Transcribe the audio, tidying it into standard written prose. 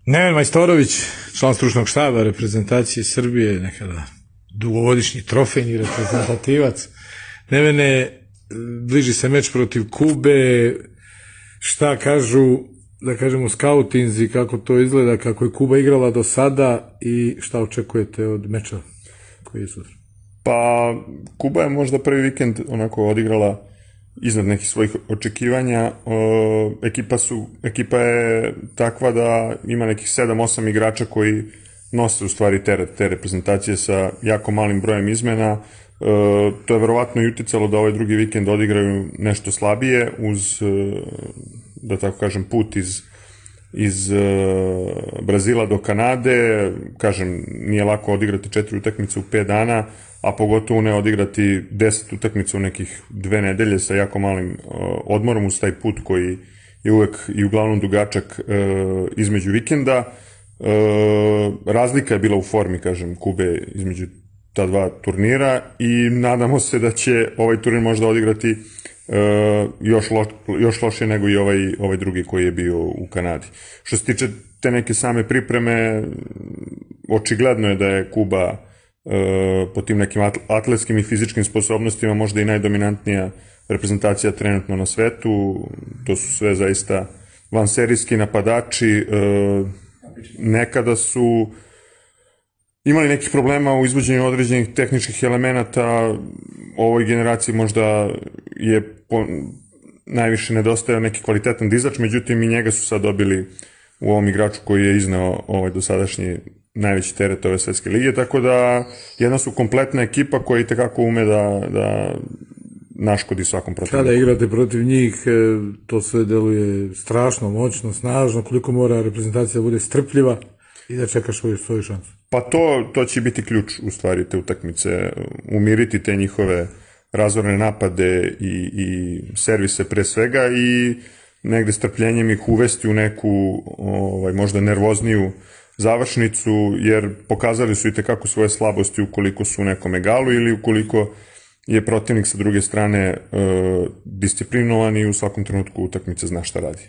Neven Majstorović, član stručnog štaba reprezentacije Srbije, nekada dugogodišnji trofejni reprezentativac. Nevene, bliži se meč protiv Kube, šta kažu, da kažemo, skautinzi, kako to izgleda, kako je Kuba igrala do sada i šta očekujete od meča koji je sutra? Pa, Kuba je možda prvi vikend onako odigrala iznad nekih svojih očekivanja. Ekipa je takva da ima nekih 7-8 igrača koji nose u stvari teret te reprezentacije sa jako malim brojem izmena. To je verovatno i uticalo da ovaj drugi vikend odigraju nešto slabije uz, da tako kažem, put iz Brazila do Kanade. Kažem, nije lako odigrati 4 utakmice u 5 dana, a pogotovo ne odigrati 10 utakmica u nekih 2 nedelje sa jako malim odmorom uz taj put koji je uvek i uglavnom dugačak između vikenda. Razlika je bila u formi, kažem, Kube između ta dva turnira i nadamo se da će ovaj turnir možda odigrati još lošije nego i ovaj drugi koji je bio u Kanadi. Što se tiče te neke same pripreme, očigledno je da je Kuba po tim nekim atletskim i fizičkim sposobnostima možda i najdominantnija reprezentacija trenutno na svetu. To su sve zaista vanserijski napadači. Nekada su imali nekih problema u izvođenju određenih tehničkih elemenata. Ovoj generaciji možda je najviše nedostajao neki kvalitetan dizač, međutim i njega su sad dobili u ovom igraču koji je izneo dosadašnji najveći teret ove svetske lige, tako da jedna su kompletna ekipa koja i tekako ume da naškodi svakom protivniku. Kada igrate protiv njih, to sve deluje strašno, moćno, snažno, koliko mora reprezentacija da bude strpljiva i da čekaš svoju šansu. Pa to će biti ključ u stvari te utakmice, umiriti te njihove razorne napade i servise pre svega i negde strpljenjem ih uvesti u neku možda nervozniju završnicu, jer pokazali su i tekako svoje slabosti ukoliko su u nekom egalu ili ukoliko je protivnik sa druge strane disciplinovan i u svakom trenutku utakmice zna šta radi.